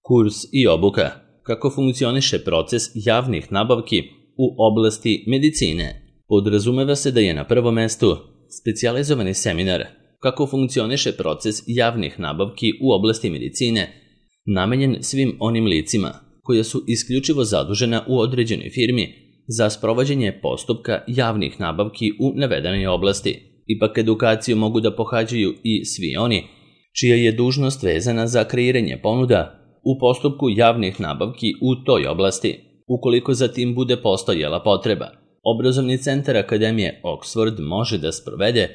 Kurs i obuka. Kako funkcioniše proces javnih nabavki u oblasti medicine? Podrazumeva se da je na prvom mestu specijalizovani seminar kako funkcioniše proces javnih nabavki u oblasti medicine namenjen svim onim licima koja su isključivo zadužena u određenoj firmi za sprovođenje postupka javnih nabavki u navedenoj oblasti. Ipak edukaciju mogu da pohađaju i svi oni čija je dužnost vezana za kreiranje ponuda u postupku javnih nabavki u toj oblasti, ukoliko za tim bude postojala potreba. Obrazovni centar Akademije Oxford može da sprovede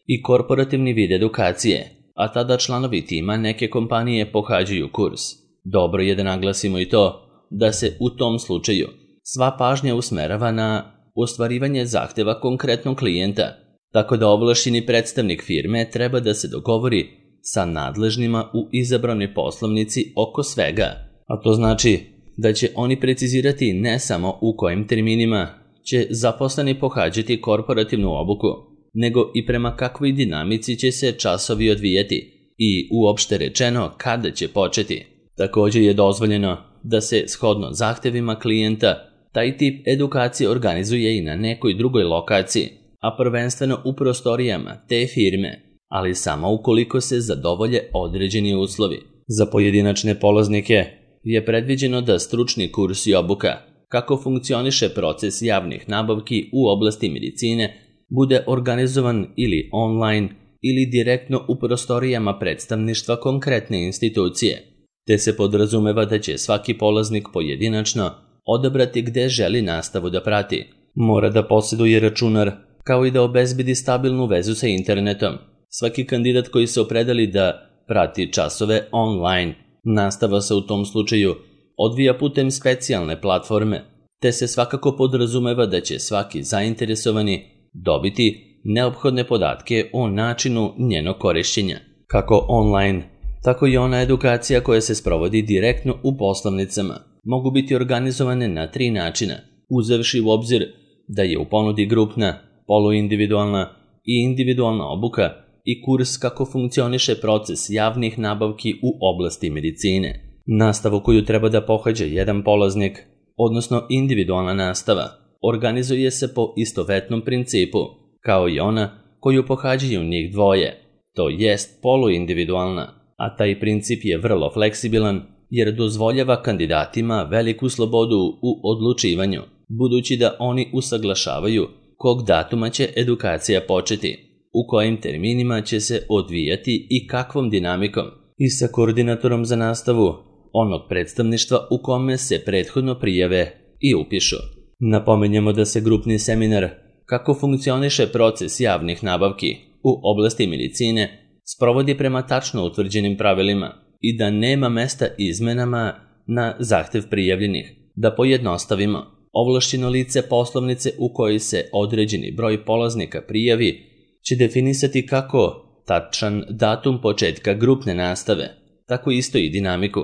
i korporativni vid edukacije, a tada članovi tima neke kompanije pohađaju kurs. Dobro je da naglasimo i to da se u tom slučaju sva pažnja usmerava na ostvarivanje zahteva konkretnog klijenta, tako da ovlašćeni predstavnik firme treba da se dogovori sa nadležnima u izabranoj poslovnici oko svega, a to znači da će oni precizirati ne samo u kojim terminima će zaposleni pohađati korporativnu obuku, nego i prema kakvoj dinamici će se časovi odvijati i uopšte rečeno kada će početi. Također je dozvoljeno da se shodno zahtevima klijenta taj tip edukacije organizuje i na nekoj drugoj lokaciji, a prvenstveno u prostorijama te firme, ali samo ukoliko se zadovolje određeni uslovi. Za pojedinačne polaznike je predviđeno da stručni kurs i obuka kako funkcioniše proces javnih nabavki u oblasti medicine bude organizovan ili online ili direktno u prostorijama predstavništva konkretne institucije, te se podrazumeva da će svaki polaznik pojedinačno odabrati gde želi nastavu da prati. Mora da posjeduje računar, kao i da obezbedi stabilnu vezu sa internetom. Svaki kandidat koji se opredeli da prati časove online, nastava se u tom slučaju odvija putem specijalne platforme, te se svakako podrazumeva da će svaki zainteresovani dobiti neophodne podatke o načinu njenog korišćenja. Kako online, tako i ona edukacija koja se sprovodi direktno u poslovnicama mogu biti organizovane na 3 načina, uzevši u obzir da je u ponudi grupna, poluindividualna i individualna obuka i kurs kako funkcioniše proces javnih nabavki u oblasti medicine. Nastavu koju treba da pohađa jedan polaznik, odnosno individualna nastava, organizuje se po istovetnom principu, kao i ona koju pohađaju njih dvoje, to jest poluindividualna, a taj princip je vrlo fleksibilan jer dozvoljava kandidatima veliku slobodu u odlučivanju, budući da oni usaglašavaju kog datuma će edukacija početi, u kojim terminima će se odvijati i kakvom dinamikom, i sa koordinatorom za nastavu onog predstavništva u kome se prethodno prijave i upišu. Napomenjemo da se grupni seminar kako funkcioniše proces javnih nabavki u oblasti medicine sprovodi prema tačno utvrđenim pravilima i da nema mesta izmenama na zahtev prijavljenih. Da pojednostavimo, ovlašćeno lice poslovnice u kojoj se određeni broj polaznika prijavi će definisati kako tačan datum početka grupne nastave, tako isto i dinamiku,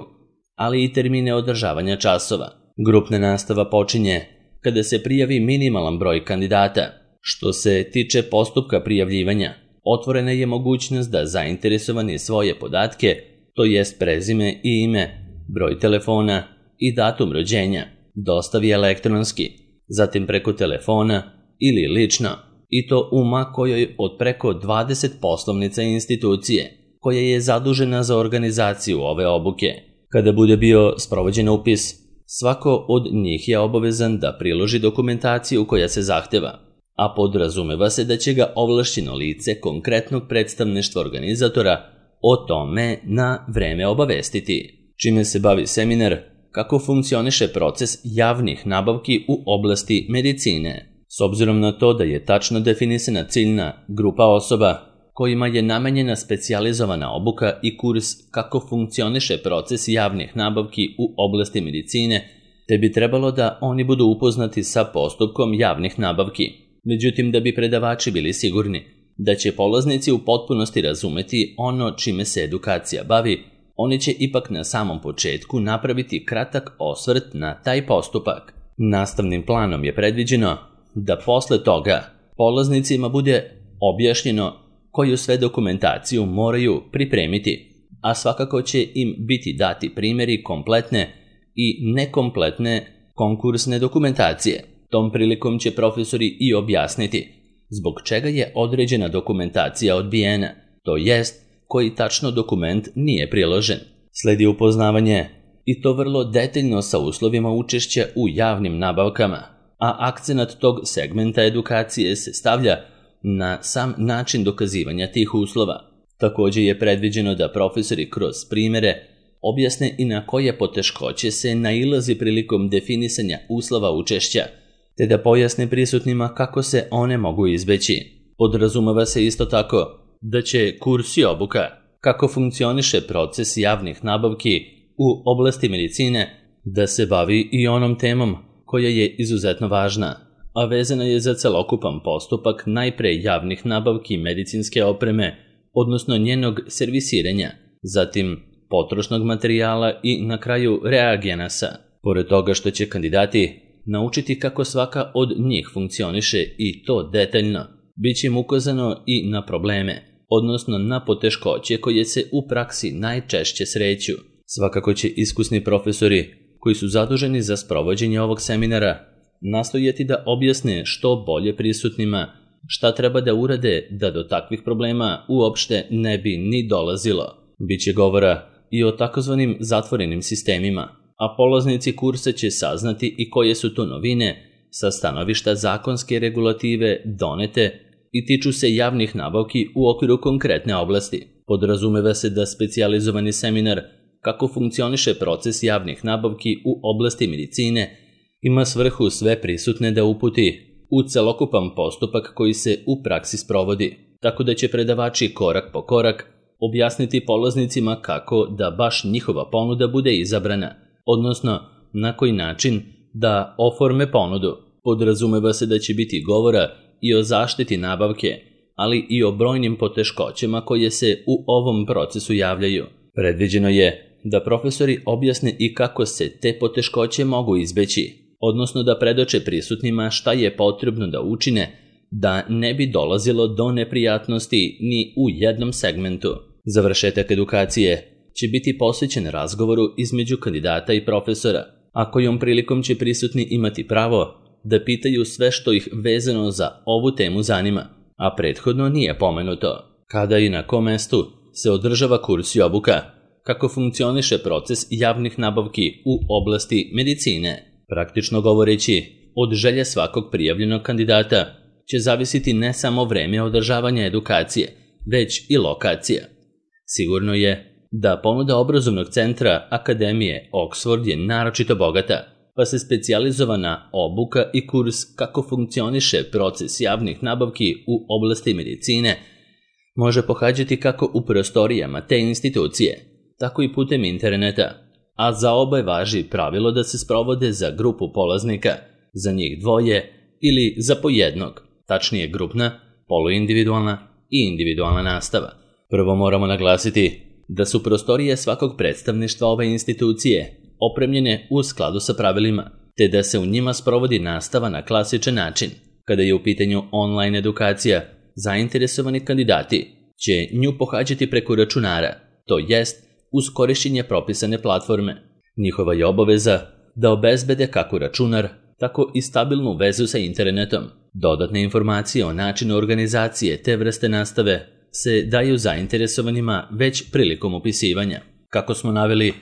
ali i termine održavanja časova. Grupna nastava počinje kada se prijavi minimalan broj kandidata. Što se tiče postupka prijavljivanja, otvorena je mogućnost da zainteresovani svoje podatke, to jest prezime i ime, broj telefona i datum rođenja, dostavi elektronski, zatim preko telefona ili lično, i to u kojoj od preko 20 poslovnica institucije, koja je zadužena za organizaciju ove obuke. Kada bude bio sprovođen upis, svako od njih je obavezan da priloži dokumentaciju koja se zahteva, a podrazumeva se da će ga ovlašćeno lice konkretnog predstavništva organizatora o tome na vreme obavestiti. Čime se bavi seminar, kako funkcioniše proces javnih nabavki u oblasti medicine. S obzirom na to da je tačno definisana ciljna grupa osoba kojima je namenjena specijalizovana obuka i kurs kako funkcioniše proces javnih nabavki u oblasti medicine, te bi trebalo da oni budu upoznati sa postupkom javnih nabavki. Međutim, da bi predavači bili sigurni da će polaznici u potpunosti razumeti ono čime se edukacija bavi, oni će ipak na samom početku napraviti kratak osvrt na taj postupak. Nastavnim planom je predviđeno da posle toga polaznicima bude objašnjeno koju sve dokumentaciju moraju pripremiti. a svakako će im biti dati primjeri kompletne i nekompletne konkursne dokumentacije. Tom prilikom će profesori i objasniti zbog čega je određena dokumentacija odbijena, to jest koji tačno dokument nije priložen. Sledi upoznavanje i to vrlo detaljno sa uslovima učešća u javnim nabavkama, a akcenat tog segmenta edukacije se stavlja na sam način dokazivanja tih uslova. Također je predviđeno da profesori kroz primjere objasne i na koje poteškoće se nailazi prilikom definisanja uslova učešća, te da pojasne prisutnima kako se one mogu izbeći. Podrazumeva se isto tako da će kurs i obuka kako funkcioniše proces javnih nabavki u oblasti medicine da se bavi i onom temom koja je izuzetno važna, a vezana je za celokupan postupak najpre javnih nabavki medicinske opreme, odnosno njenog servisiranja, zatim potrošnog materijala i na kraju reagenasa. Pored toga što će kandidati naučiti kako svaka od njih funkcioniše i to detaljno, bit će im ukazano i na probleme, odnosno na poteškoće koje se u praksi najčešće sreću. Svakako će iskusni profesori koji su zaduženi za sprovođenje ovog seminara nastojati da objasne što bolje prisutnima šta treba da urade da do takvih problema uopšte ne bi ni dolazilo. Biće govora i o takozvanim zatvorenim sistemima, a polaznici kursa će saznati i koje su to novine sa stanovišta zakonske regulative donete i tiču se javnih nabavki u okviru konkretne oblasti. Podrazumeva se da specijalizovani seminar kako funkcioniše proces javnih nabavki u oblasti medicine ima svrhu sve prisutne da uputi u celokupan postupak koji se u praksi sprovodi, tako da će predavači korak po korak objasniti polaznicima kako da baš njihova ponuda bude izabrana, odnosno na koji način da oforme ponudu. Podrazumeva se da će biti govora i o zaštiti nabavke, ali i o brojnim poteškoćama koje se u ovom procesu javljaju. Predviđeno je da profesori objasne i kako se te poteškoće mogu izbeći, odnosno da predoče prisutnima šta je potrebno da učine da ne bi dolazilo do neprijatnosti ni u jednom segmentu. Završetak edukacije će biti posvećen razgovoru između kandidata i profesora, a kojom prilikom će prisutni imati pravo da pitaju sve što ih vezano za ovu temu zanima, a prethodno nije pomenuto. Kada i na kom mestu se održava kurs i obuka, kako funkcioniše proces javnih nabavki u oblasti medicine. Praktično govoreći, od želje svakog prijavljenog kandidata će zavisiti ne samo vreme održavanja edukacije, već i lokacija. Sigurno je da ponuda obrazovnog centra Akademije Oxford je naročito bogata, pa se specijalizovana obuka i kurs kako funkcioniše proces javnih nabavki u oblasti medicine može pohađati kako u prostorijama te institucije, tako i putem interneta, a za oba važi pravilo da se sprovode za grupu polaznika, za njih dvoje ili za po jednog, tačnije grupna, poluindividualna i individualna nastava. Prvo moramo naglasiti da su prostorije svakog predstavništva ove institucije opremljene u skladu sa pravilima, te da se u njima sprovodi nastava na klasičan način. Kada je u pitanju online edukacija, zainteresovani kandidati će nju pohađati preko računara, to jest uz korišćenje propisane platforme. Njihova je obaveza da obezbede kako računar, tako i stabilnu vezu sa internetom. Dodatne informacije o načinu organizacije te vrste nastave se daju zainteresovanima već prilikom upisivanja. Kako smo naveli,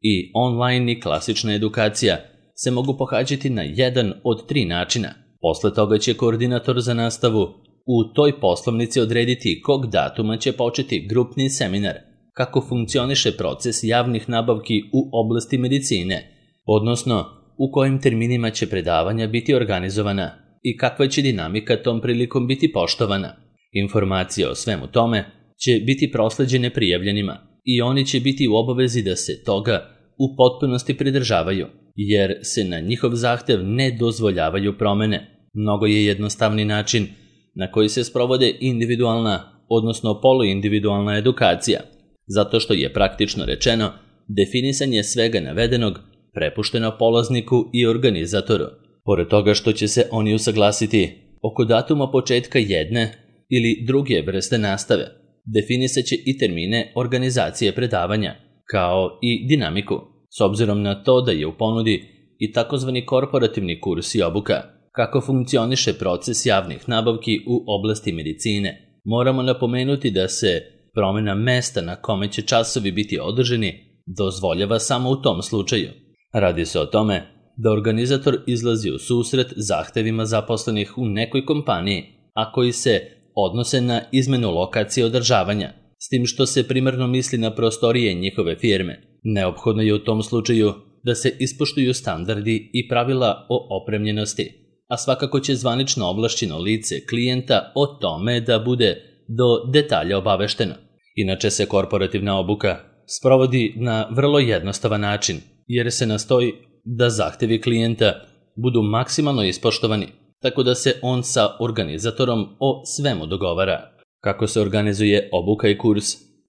i online i klasična edukacija se mogu pohađati na jedan od 3 načina. Posle toga će koordinator za nastavu u toj poslovnici odrediti kog datuma će početi grupni seminar, kako funkcioniše proces javnih nabavki u oblasti medicine, odnosno u kojim terminima će predavanja biti organizovana i kakva će dinamika tom prilikom biti poštovana. Informacije o svemu tome će biti prosleđene prijavljenima i oni će biti u obavezi da se toga u potpunosti pridržavaju, jer se na njihov zahtev ne dozvoljavaju promene. Mnogo je jednostavni način na koji se sprovode individualna, odnosno poluindividualna edukacija, zato što je praktično rečeno definisanje svega navedenog prepušteno polazniku i organizatoru. Pored toga što će se oni usaglasiti oko datuma početka jedne ili druge vrste nastave, definisaće i termine organizacije predavanja, kao i dinamiku, s obzirom na to da je u ponudi i takozvani korporativni kurs i obuka. Kako funkcioniše proces javnih nabavki u oblasti medicine? Moramo napomenuti da se promjena mesta na kome će časovi biti održani dozvoljava samo u tom slučaju. Radi se o tome da organizator izlazi u susret zahtevima zaposlenih u nekoj kompaniji, a koji se odnose na izmenu lokacije održavanja, s tim što se primarno misli na prostorije njihove firme. Neophodno je u tom slučaju da se ispoštuju standardi i pravila o opremljenosti, a svakako će zvanično ovlašćeno lice klijenta o tome da bude do detalja obavešteno. Inače se korporativna obuka sprovodi na vrlo jednostavan način, jer se nastoji da zahtevi klijenta budu maksimalno ispoštovani, tako da se on sa organizatorom o svemu dogovara. Kako se organizuje obuka i kurs?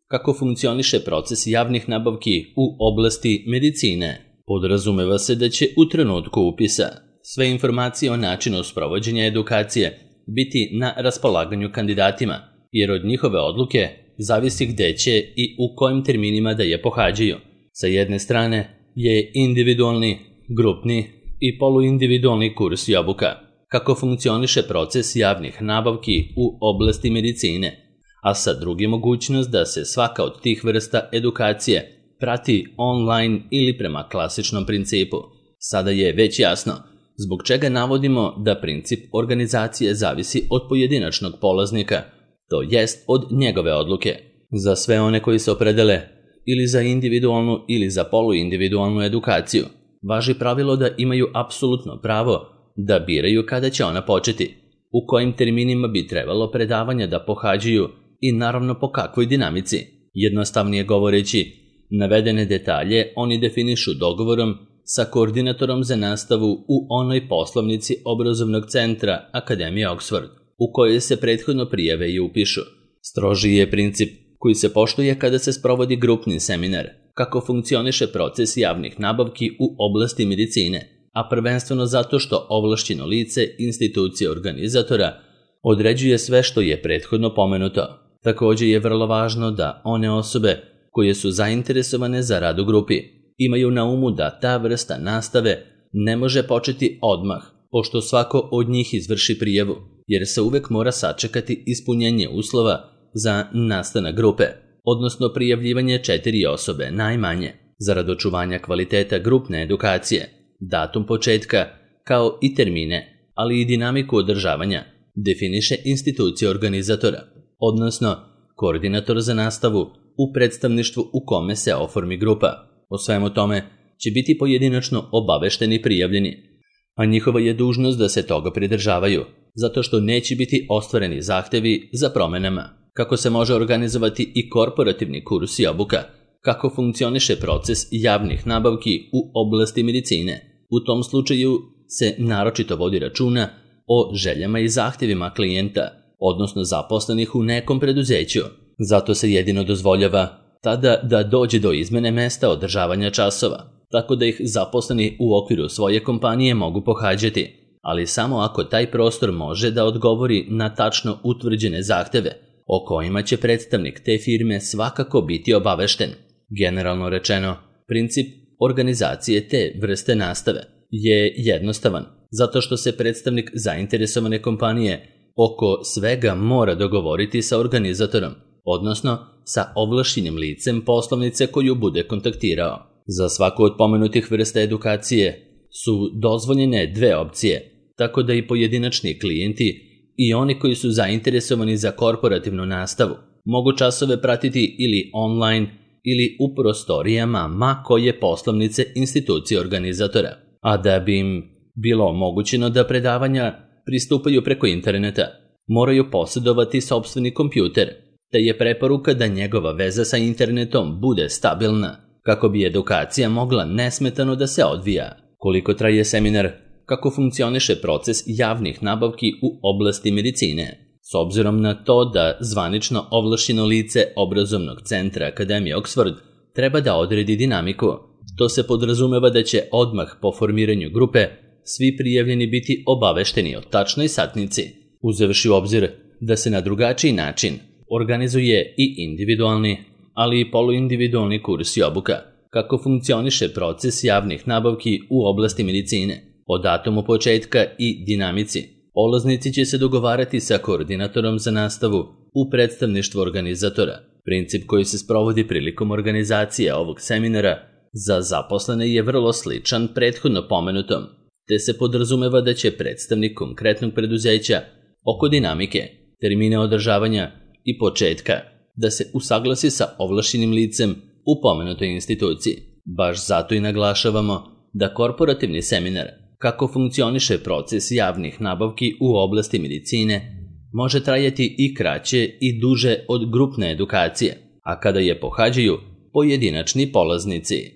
Kako funkcioniše proces javnih nabavki u oblasti medicine? Podrazumeva se da će u trenutku upisa sve informacije o načinu sprovođenja edukacije biti na raspolaganju kandidatima, jer od njihove odluke zavisi gde će i u kojim terminima da je pohađaju. Sa jedne strane je individualni, grupni i poluindividualni kurs i obuka. Kako funkcioniše proces javnih nabavki u oblasti medicine, a sa druge mogućnost da se svaka od tih vrsta edukacije prati online ili prema klasičnom principu. Sada je već jasno zbog čega navodimo da princip organizacije zavisi od pojedinačnog polaznika, to jest od njegove odluke. Za sve one koji se opredele ili za individualnu ili za poluindividualnu edukaciju, važi pravilo da imaju apsolutno pravo da biraju kada će ona početi, u kojim terminima bi trebalo predavanja da pohađaju i naravno po kakvoj dinamici. Jednostavnije govoreći, navedene detalje oni definišu dogovorom sa koordinatorom za nastavu u onoj poslovnici obrazovnog centra Akademije Oxford, u kojoj se prethodno prijave i upišu. Strožiji je princip koji se poštuje kada se sprovodi grupni seminar, kako funkcioniše proces javnih nabavki u oblasti medicine, a prvenstveno zato što ovlašćeno lice institucije organizatora određuje sve što je prethodno pomenuto. Također je vrlo važno da one osobe koje su zainteresovane za rad u grupi imaju na umu da ta vrsta nastave ne može početi odmah, pošto svako od njih izvrši prijavu, jer se uvek mora sačekati ispunjenje uslova za nastanak grupe, odnosno prijavljivanje 4 osobe najmanje, zarad očuvanja kvaliteta grupne edukacije. Datum početka, kao i termine, ali i dinamiku održavanja, definiše institucija organizatora, odnosno koordinator za nastavu u predstavništvu u kome se oformi grupa. O svemu tome će biti pojedinačno obavešteni prijavljeni, a njihova je dužnost da se toga pridržavaju, zato što neće biti ostvareni zahtevi za promenama. Kako se može organizovati i korporativni kurs i obuka? Kako funkcioniše proces javnih nabavki u oblasti medicine? U tom slučaju se naročito vodi računa o željama i zahtjevima klijenta, odnosno zaposlenih u nekom preduzeću. Zato se jedino dozvoljava tada da dođe do izmene mesta održavanja časova, tako da ih zaposleni u okviru svoje kompanije mogu pohađati, ali samo ako taj prostor može da odgovori na tačno utvrđene zahteve, o kojima će predstavnik te firme svakako biti obavešten. Generalno rečeno, princip organizacije te vrste nastave je jednostavan, zato što se predstavnik zainteresovane kompanije oko svega mora dogovoriti sa organizatorom, odnosno sa ovlašćenim licem poslovnice koju bude kontaktirao. Za svaku od pomenutih vrsta edukacije su dozvoljene 2 opcije, tako da i pojedinačni klijenti i oni koji su zainteresovani za korporativnu nastavu mogu časove pratiti ili online ili u prostorijama ma koje poslovnice institucije organizatora, a da bi im bilo omogućeno da predavanja pristupaju preko interneta, moraju posjedovati sopstveni kompjuter, te je preporuka da njegova veza sa internetom bude stabilna, kako bi edukacija mogla nesmetano da se odvija. Koliko traje seminar? Kako funkcioniše proces javnih nabavki u oblasti medicine? S obzirom na to da zvanično ovlašćeno lice obrazovnog centra Akademije Oxford treba da odredi dinamiku, to se podrazumeva da će odmah po formiranju grupe svi prijavljeni biti obavešteni o tačnoj satnici, uzevši u obzir da se na drugačiji način organizuje i individualni, ali i poluindividualni kurs i obuka. Kako funkcioniše proces javnih nabavki u oblasti medicine, o datumu početka i dinamici. Polaznici će se dogovarati sa koordinatorom za nastavu u predstavništvu organizatora. Princip koji se sprovodi prilikom organizacije ovog seminara za zaposlene je vrlo sličan prethodno pomenutom, te se podrazumeva da će predstavnik konkretnog preduzeća oko dinamike, termine održavanja i početka da se usaglasi sa ovlašćenim licem u pomenutoj instituciji. Baš zato i naglašavamo da korporativni seminar kako funkcioniše proces javnih nabavki u oblasti medicine može trajati i kraće i duže od grupne edukacije, a kada je pohađaju pojedinačni polaznici.